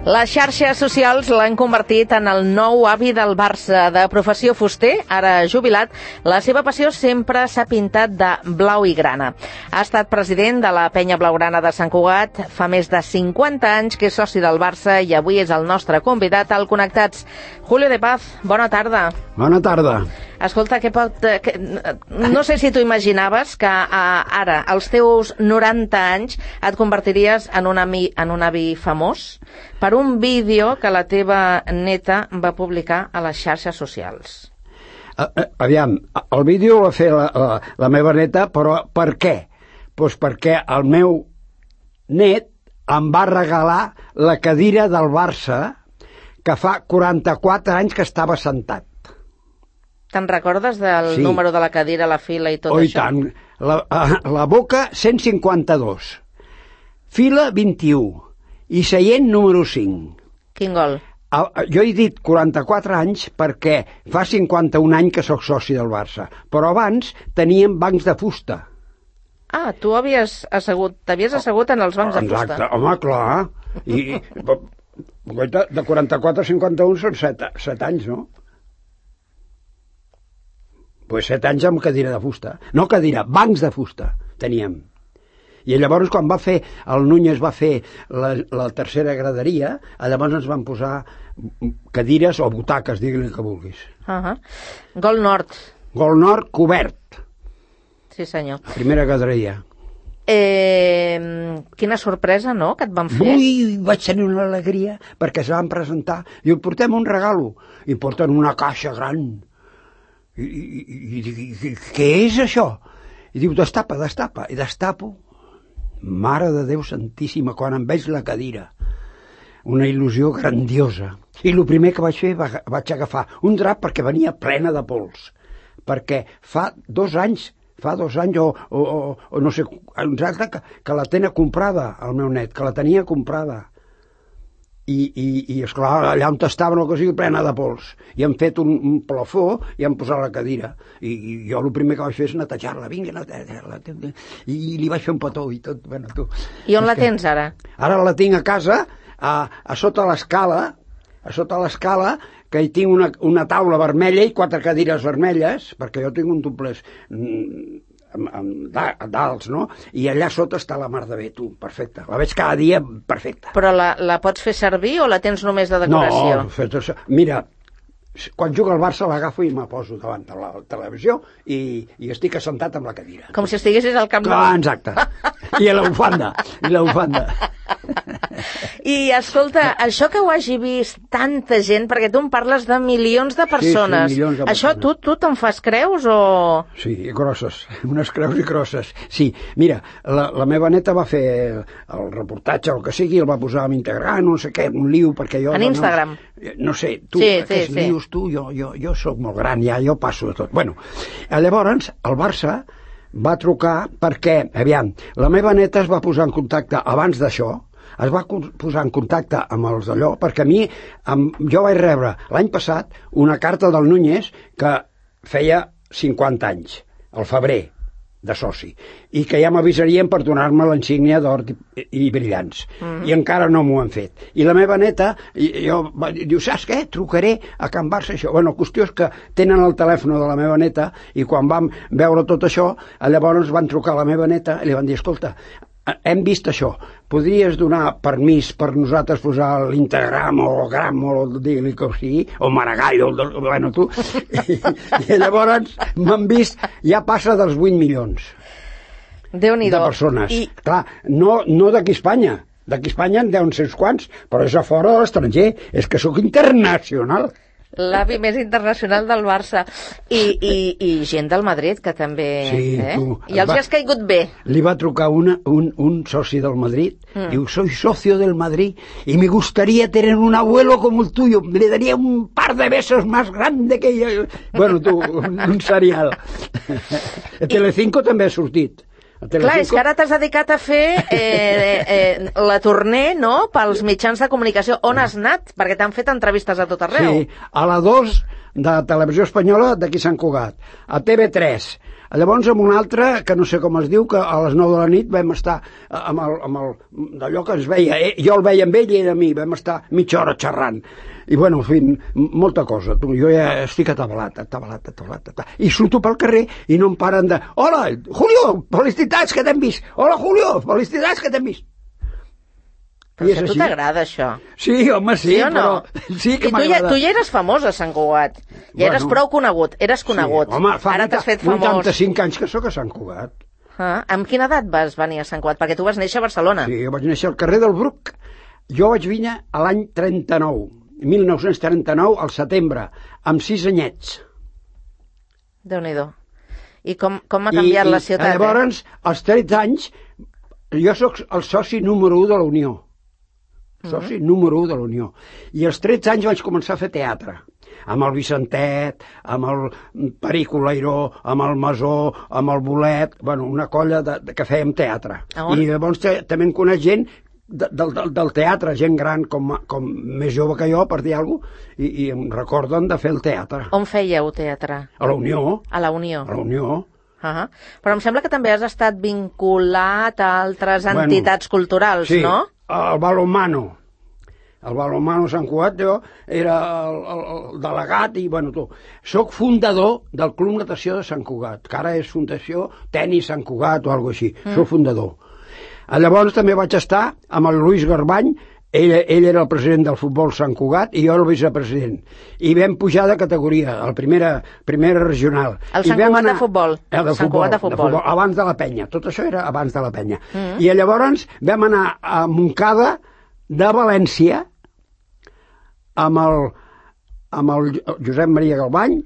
Les xarxes socials l'han convertit en el nou avi del Barça. De professió fuster, ara jubilat, la seva passió sempre s'ha pintat de blau i grana. Ha estat president de la penya blaugrana de Sant Cugat, fa més de 50 anys que és soci del Barça i avui és el nostre convidat al Connectats. Julio de Paz, bona tarda. Bona tarda. Escolta, no sé si t'ho imaginaves que ara, als teus 90 anys, et convertiries en un avi famós per un vídeo que la teva neta va publicar a les xarxes socials. Aviam, el vídeo ho va fer la meva neta, però per què? Doncs perquè el meu net em va regalar la cadira del Barça que fa 44 anys que estava sentat. Te'n recordes del número de la cadira, la fila i tot això? Oh, i tant. La boca, 152. Fila, 21. I seient, número 5. Quin gol? Jo he dit 44 anys perquè fa 51 anys que sóc soci del Barça. Però abans teníem bancs de fusta. Ah, tu t'havies assegut en els bancs de fusta. Exacte, home, clar. I de 44 a 51 són 7 anys, no? Pues 7 anys amb cadira de fusta. No cadira, bancs de fusta teníem. I llavors quan el Núñez va fer la tercera graderia, llavors ens van posar cadires o butaques, digue-li que vulguis. Gol Nord. Gol Nord cobert. Sí, senyor. Primera graderia. Quina sorpresa, no?, que et van fer. Ui, vaig tenir una alegria perquè es van presentar. Diu, portem un regalo. I porten una caixa gran. I dic, què és això? I diu, destapa. I destapo. Mare de Déu Santíssima, quan em veig la cadira. Una il·lusió grandiosa. I el primer que vaig fer, vaig agafar un drap perquè venia plena de pols. Perquè fa 2 anys o no sé, exacte, que la tenia comprada, el meu net, que la tenia comprada. I esclar, allà on estava una cosa plena de pols. I han fet un plafó i han posat la cadira. I jo el primer que vaig fer és netejar-la. Vinga, netejar-la. I li vaig fer un petó i tot. Bueno, tu. I on la tens ara? Ara la tinc a casa, a sota l'escala, que hi tinc una taula vermella i 4 cadires vermelles, perquè jo tinc un doblers d'alts, no? I allà sota està la mar de bé, tu, perfecta. La veig cada dia perfecta. Però la pots fer servir o la tens només de decoració? No, mira, quan juga al Barça l'agafo i me poso davant de la televisió i estic assentat amb la cadira. Com si estiguessis al Camp Nou. Clar, exacte. I la bufanda. I escolta, això que ho hagi vist tanta gent, perquè tu em parles de milions de persones, sí, milions de persones. Això tu te'n fas creus o...? Sí, grosses, unes creus i grosses. Sí, mira, la meva neta va fer el reportatge, el que sigui, el va posar a Instagram, no sé què, un liu, perquè jo... En Instagram? No sé, tu, aquests lius, tu, jo sóc molt gran, ja, jo passo de tot. Bueno, llavors, el Barça va trucar perquè, aviam, la meva neta es va posar en contacte abans d'això, es va posar en contacte amb els d'allò, perquè a mi, jo vaig rebre l'any passat una carta del Núñez que feia 50 anys, al febrer, de soci, i que ja m'avisarien per donar-me l'insígnia d'or i brillants. I encara no m'ho han fet. I la meva neta, diu, saps què? Trucaré a Can Barça, això. Bueno, la qüestió és que tenen el telèfon de la meva neta i quan vam veure tot això, llavors van trucar a la meva neta i li van dir, escolta, hem vist això, podries donar permís per nosaltres posar l'Instagram o el Gram o digui-li que sigui, o Maragall, bueno, tu, i llavors m'han vist, ja passa dels 8 milions de persones. Clar, no d'aquí a Espanya, d'aquí a Espanya en deuen ser uns quants, però és a fora de l'estranger, és que sóc internacional. L'avi més internacional del Barça i gent del Madrid que també i els has caigut bé. Li va trucar un soci del Madrid, diu, soy socio del Madrid y me gustaría tener un abuelo como el tuyo, le daría un par de besos más grande que yo. Bueno, tu, un serial. Telecinco també ha sortit. Clar, és que ara t'has dedicat a fer la tournée, no?, pels mitjans de comunicació. On has anat? Perquè t'han fet entrevistes a tot arreu. Sí, a la 2 de Televisió Espanyola d'aquí Sant Cugat, a TV3. Llavors amb un altre, que no sé com es diu, que a les 9 de la nit vam estar d'allò que es veia, jo el veia amb ell i ell a mi, vam estar mitja hora xerrant. I bueno, en fi, molta cosa. Jo ja estic atabalat. I surto pel carrer i no em paren de... Hola, Julio, felicitats que t'hem vist. Hola, Julio, felicitats que t'hem vist. Però si a tu t'agrada això. Sí, home, sí, sí no? Però sí que m'agrada. Tu ja eres famós a Sant Cugat. Ja eres prou conegut, eres conegut. Sí, home, fa ara t'has fet famós. 85 anys que sóc a Sant Cugat. Amb quina edat vas venir a Sant Cugat? Perquè tu vas néixer a Barcelona. Sí, jo vaig néixer al carrer del Bruc. Jo vaig venir a l'any 39, 1939, al setembre, amb 6 anyets. Déu-n'hi-do. I com ha canviat la ciutat? Llavors, als 13 anys, jo sóc el soci número 1 de la Unió. Soci número 1 de la Unió. I als 13 anys vaig començar a fer teatre. Amb el Vicentet, amb el Perico Leiró, amb el Masó, amb el Bolet, bueno, una colla que fèiem teatre. I llavors també en coneix gent del teatre, gent gran com més jove que jo, per dir alguna cosa, i em recorden de fer el teatre. On fèieu teatre? A la Unió. A la Unió. A la Unió. Però em sembla que també has estat vinculat a altres entitats culturals, sí, no? El Balonmano. El Balonmano Sant Cugat, jo era el delegat i, bueno, tu. Soc fundador del Club Natació de Sant Cugat, que ara és Fundació Tenis Sant Cugat o alguna cosa així. Soc fundador. Llavors també vaig estar amb el Lluís Garbany, ell era el president del futbol Sant Cugat i jo el vicepresident. I vam pujar de categoria, a la primera regional. El Sant Cugat de futbol. Sant Cugat de futbol. Abans de la penya. Tot això era abans de la penya. I llavors vam anar a Montcada de València amb el Josep Maria Galbany,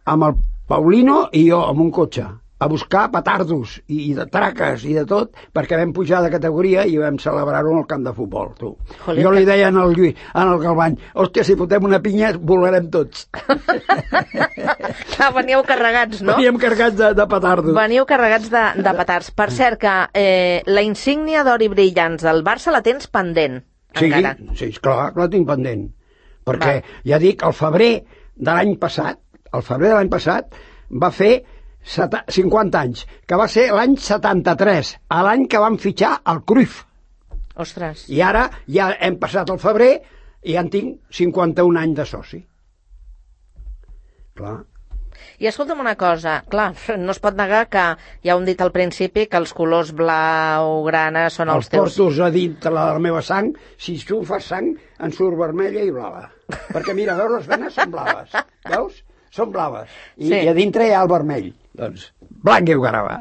amb el Paulino i jo, amb un cotxe, a buscar petardos i de traques i de tot, perquè vam pujar de categoria i vam celebrar-ho en el camp de futbol, tu. Jolita. Jo li deia al Lluís, al Galbany, hòstia, si fotem una pinya, volarem tots. Veníeu carregats, no? Veníem carregats de petardos. Veniu carregats de petards. Per cert, que la insígnia d'or i brillants del Barça la tens pendent, encara. Sí, clar, la tinc pendent. Perquè, ja dic, el febrer de l'any passat, va fer 50 anys, que va ser l'any 73, a l'any que van fitxar el Cruyff. Ostres. I ara ja hem passat el febrer i ja en tinc 51 anys de soci. Clar. I escolta'm una cosa, clar, no es pot negar que ja ho hem dit al principi, que els colors blau-grana són els teus... Els portos a dintre la meva sang, si tu fas sang, en surt vermella i blava. Perquè mira, veus, les venes són blaves, veus? Són blaves. I a dintre hi ha el vermell. Doncs, blanc i grava.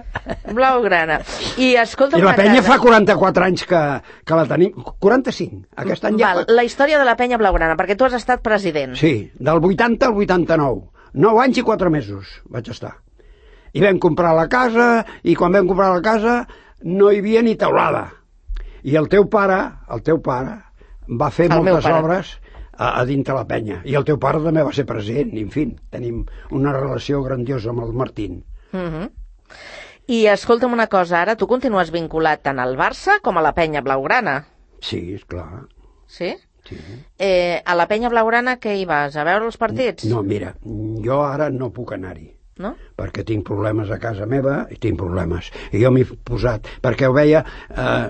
Blau-grana. I escolta'm... I la penya fa 44 anys que la tenim. 45. Aquest any ja... La història de la penya blaugrana, perquè tu has estat president. Sí, del 80 al 89. 9 anys i 4 mesos vaig estar. I vam comprar la casa, i quan vam comprar la casa no hi havia ni teulada. I el teu pare va fer moltes obres a dintre la penya. I el teu pare també va ser president. I, en fi, tenim una relació grandiosa amb el Martín. I escolta'm una cosa, ara tu continues vinculat tant al Barça com a la penya blaugrana. Sí, esclar. Sí? Sí. A la penya blaugrana què hi vas? A veure els partits? No, mira, jo ara no puc anar-hi. No? Perquè tinc problemes a casa meva i tinc problemes. I jo m'he posat, perquè ho veia,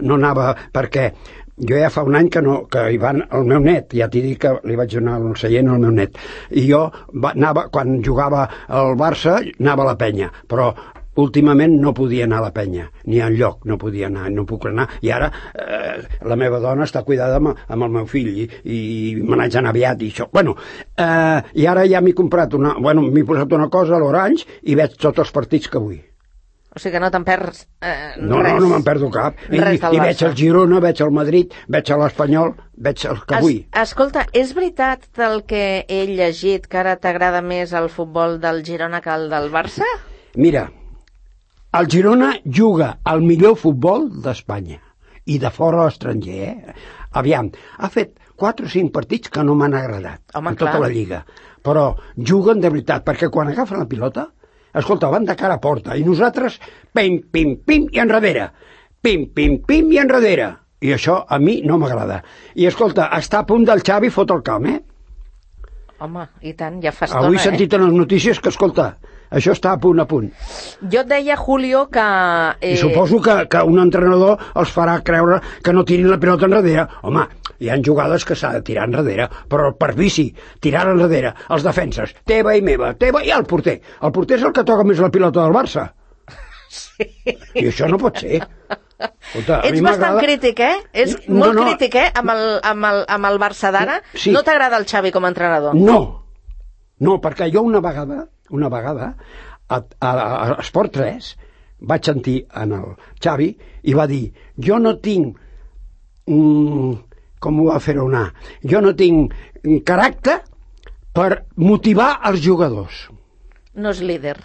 no anava, perquè jo ja fa un any que hi van el meu net, ja t'he dit que li vaig donar el seient al meu net, i jo anava, quan jugava al Barça, anava a la penya, però últimament no podia anar a la penya, ni enlloc no podia anar, no puc anar, i ara la meva dona està cuidada amb el meu fill, i me n'haig d'anar aviat, i això. Bueno, i ara ja m'he posat una cosa a l'Orange, i veig tots els partits que vull. O sigui que no te'n perds res. No me'n perdo cap. I veig el Girona, veig el Madrid, veig l'Espanyol, veig el que vull. Escolta, és veritat el que he llegit, que ara t'agrada més el futbol del Girona que el del Barça? Mira, el Girona juga al millor futbol d'Espanya i de fora a l'estranger. Aviam, ha fet 4 o 5 partits que no m'han agradat en tota la lliga, però juguen de veritat, perquè quan agafen la pilota, escolta, van de cara a porta, i nosaltres pim, pim, pim i enrere, pim, pim, pim i enrere, i això a mi no m'agrada. I escolta, està a punt del Xavi fot el camp, Home, i tant, ja fa estona, Avui he sentit en les notícies que, escolta, això està a punt. Jo et deia, Julio, que... I suposo que un entrenador els farà creure que no tirin la pilota enrere. Home, hi ha jugades que s'ha de tirar enrere, però per vici, tirar enrere, els defenses, teva i meva, teva i el porter. El porter és el que toca més la pilota del Barça. Sí. I això no pot ser. Escolta, ets bastant crític, eh? És molt crític, amb el Barça d'ara. Sí. No t'agrada el Xavi com a entrenador? No, perquè jo una vegada a Esport 3 vaig sentir en el Xavi i va dir, jo no tinc com ho va fer anar, jo no tinc caràcter per motivar els jugadors. No és líder.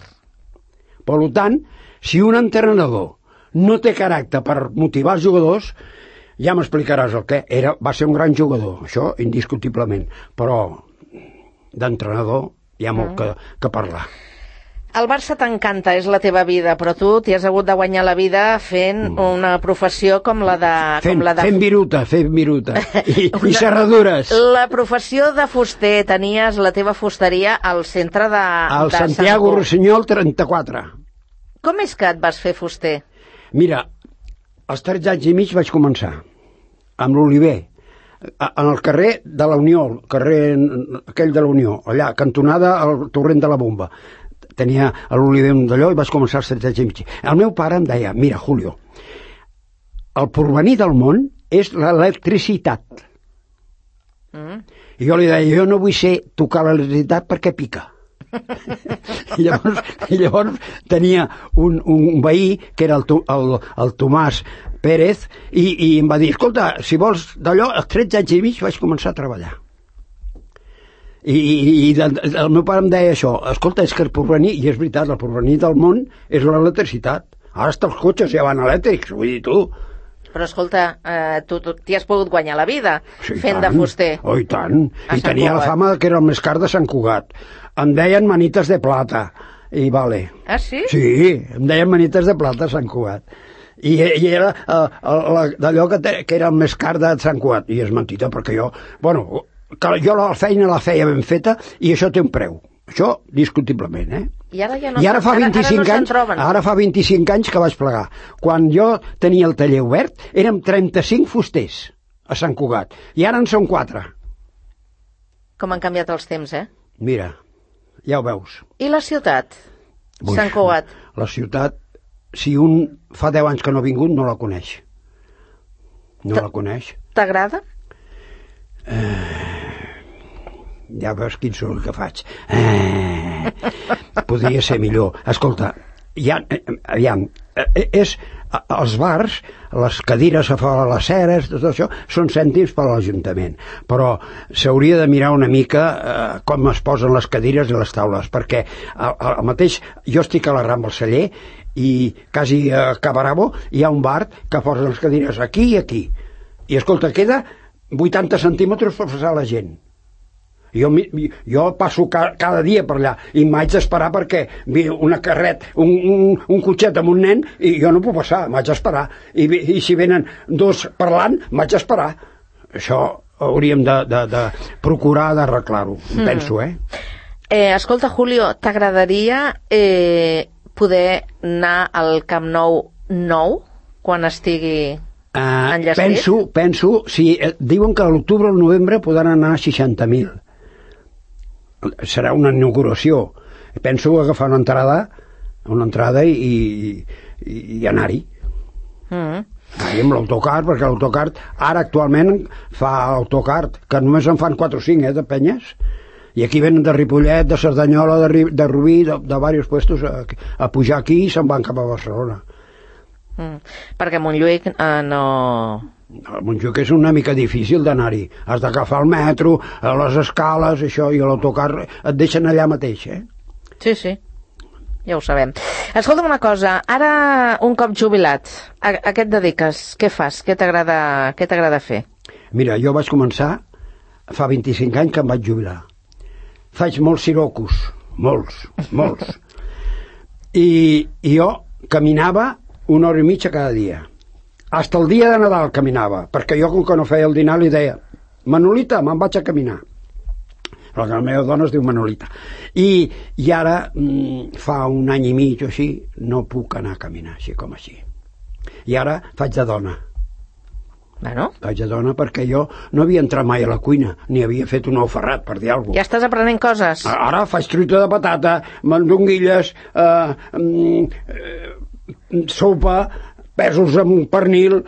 Per tant, si un entrenador no té caràcter per motivar els jugadors, ja m'explicaràs el què. Va ser un gran jugador, això indiscutiblement, però d'entrenador hi ha molt que parlar. El Barça t'encanta, és la teva vida, però tu t'hi has hagut de guanyar la vida fent una professió com la de... Fent viruta i serradures. La professió de fuster, tenies la teva fusteria al centre de... Al Santiago Rossinyol 34. Com és que et vas fer fuster? Mira, als 13 anys i mig vaig començar, amb l'Oliver, en el carrer de la Unió, el carrer aquell de la Unió, allà, cantonada al torrent de la Bomba. Tenia l'Oliver d'allò i vaig començar als 13 anys i mig. El meu pare em deia, mira, Julio, el porvenir del món és l'electricitat. I jo li deia, jo no vull ser tocar l'electricitat perquè pica. I llavors tenia un veí que era el Tomàs Pérez i em va dir, escolta, si vols d'allò, als 13 anys i mig vaig començar a treballar. I el meu pare em deia això, escolta, és que el porvenir, i és veritat, el porvenir del món és l'electricitat. Ara hasta els cotxes ja van elèctrics, vull dir, tu. Però escolta, tu t'hi has pogut guanyar la vida fent de fuster. Oh, i tant. I tenia la fama que era el més car de Sant Cugat. Em deien manites de plata. I vale. Ah, sí? Sí, em deien manites de plata a Sant Cugat. I era d'allò que era el més car de Sant Cugat. I és mentida, perquè jo la feina la feia ben feta i això té un preu. Això, discutiblement, eh? I ara ja no, I ara fa 25 anys que vaig plegar. Quan jo tenia el taller obert, érem 35 fusters a Sant Cugat. I ara en són 4. Com han canviat els temps, eh? Mira, ja ho veus. I la ciutat? Sant Cugat? La ciutat, si un fa 10 anys que no ha vingut, no la coneix. No la coneix. T'agrada? Ja veus quin soroll que faig. Podria ser millor. Escolta, aviam, els bars, les cadires a fora les ceres, tot això, són cèntims per a l'Ajuntament. Però s'hauria de mirar una mica com es posen les cadires i les taules, perquè al mateix, jo estic a la Rambla Celler i quasi a Cabarabo hi ha un bar que posa les cadires aquí i aquí. I escolta, queda 80 centímetres per passar la gent. Jo passo cada dia per allà i m'haig d'esperar perquè ve una carret, un cotxet amb un nen i jo no puc passar, m'haig d'esperar. I si venen dos parlant, m'haig d'esperar. Això hauríem de procurar d'arreglar-ho, penso, eh? Escolta, Julio, t'agradaria poder anar al Camp Nou quan estigui enllestit? Penso, si diuen que a l'octubre o al novembre podran anar a 60.000. Serà una inauguració. Penso agafar una entrada i anar-hi. Anar-hi amb l'autocar, perquè l'autocar ara actualment fa autocar, que només en fan 4 o 5, de penyes, i aquí venen de Ripollet, de Cerdanyola, de Rubí, de diversos puestos a pujar aquí i se'n van cap a Barcelona. Perquè Montjuïc no... A Montjuïc és una mica difícil d'anar-hi. Has d'agafar el metro, a les escales, això, i l'autocar et deixen allà mateix, eh? Sí, ja ho sabem. Escolta'm una cosa, ara un cop jubilat, a què et dediques? Què fas? Què t'agrada fer? Mira, jo vaig començar fa 25 anys que em vaig jubilar. Faig molts sirocos, molts. I jo caminava 1 hora i mitja cada dia. Hasta el dia de Nadal caminava, perquè jo, com que no feia el dinar, li deia, Manolita, me'n vaig a caminar. però la meva dona es diu Manolita. I ara, fa un any i mig o així, no puc anar a caminar així com així. I ara faig de dona. Bueno. Faig de dona perquè jo no havia entrat mai a la cuina, ni havia fet un ou ferrat, per dir alguna cosa. Ja estàs aprenent coses. Ara faig truita de patata, mandonguilles, sopa, pèsols amb pernil,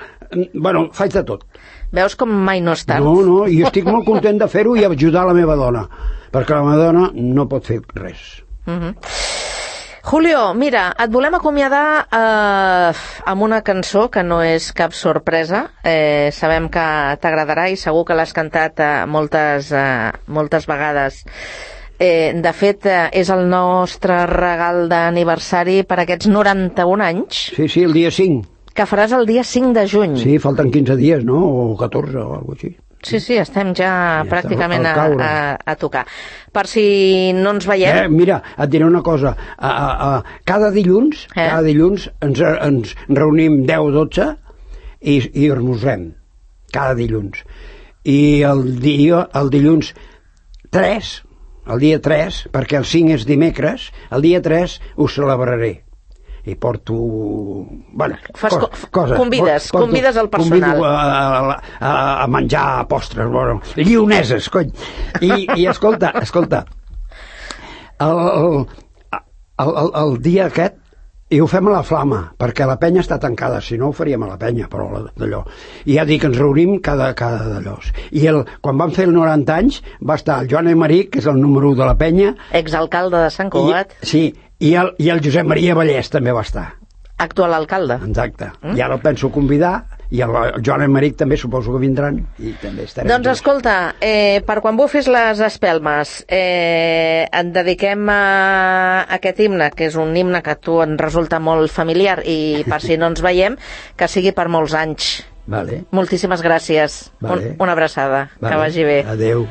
bueno, faig de tot. Veus com mai no és tard? No, i estic molt content de fer-ho i ajudar la meva dona, perquè la meva dona no pot fer res. Julio, mira, et volem acomiadar amb una cançó que no és cap sorpresa. Sabem que t'agradarà i segur que l'has cantat moltes vegades. De fet, és el nostre regal d'aniversari per aquests 91 anys. Sí, el dia 5. Que faràs el dia 5 de juny. Sí, falten 15 dies, no? O 14 o alguna cosa així. Sí, estem ja pràcticament a tocar. Per si no ens veiem... Mira, et diré una cosa. Cada dilluns ens reunim 10 o 12 i esmorzem. Cada dilluns. I el dilluns 3, el dia 3, perquè el 5 és dimecres, el dia 3 ho celebraré. I porto... Bueno, coses. Convides el personal. Convido a menjar postres, bueno, llioneses, cony. I escolta, el dia aquest, i ho fem a la Flama, perquè la penya està tancada, si no ho faríem a la penya, però d'allò. I ja dic que ens reunim cada d'allò. I quan van fer el 90 anys, va estar el Joan Emeric, que és el número 1 de la penya. Exalcalde de Sant Cugat. Sí, i el Josep Maria Vallès també va estar. Actual alcalde. Exacte. I ara el penso convidar, i el Joan Emeric també suposo que vindran, i també estarem. Doncs escolta, per quan bufis les espelmes, et dediquem a aquest himne, que és un himne que a tu en resulta molt familiar, i per si no ens veiem, que sigui per molts anys. Vale. Moltíssimes gràcies. Vale. Una abraçada. Vale. Que vagi bé. Adéu.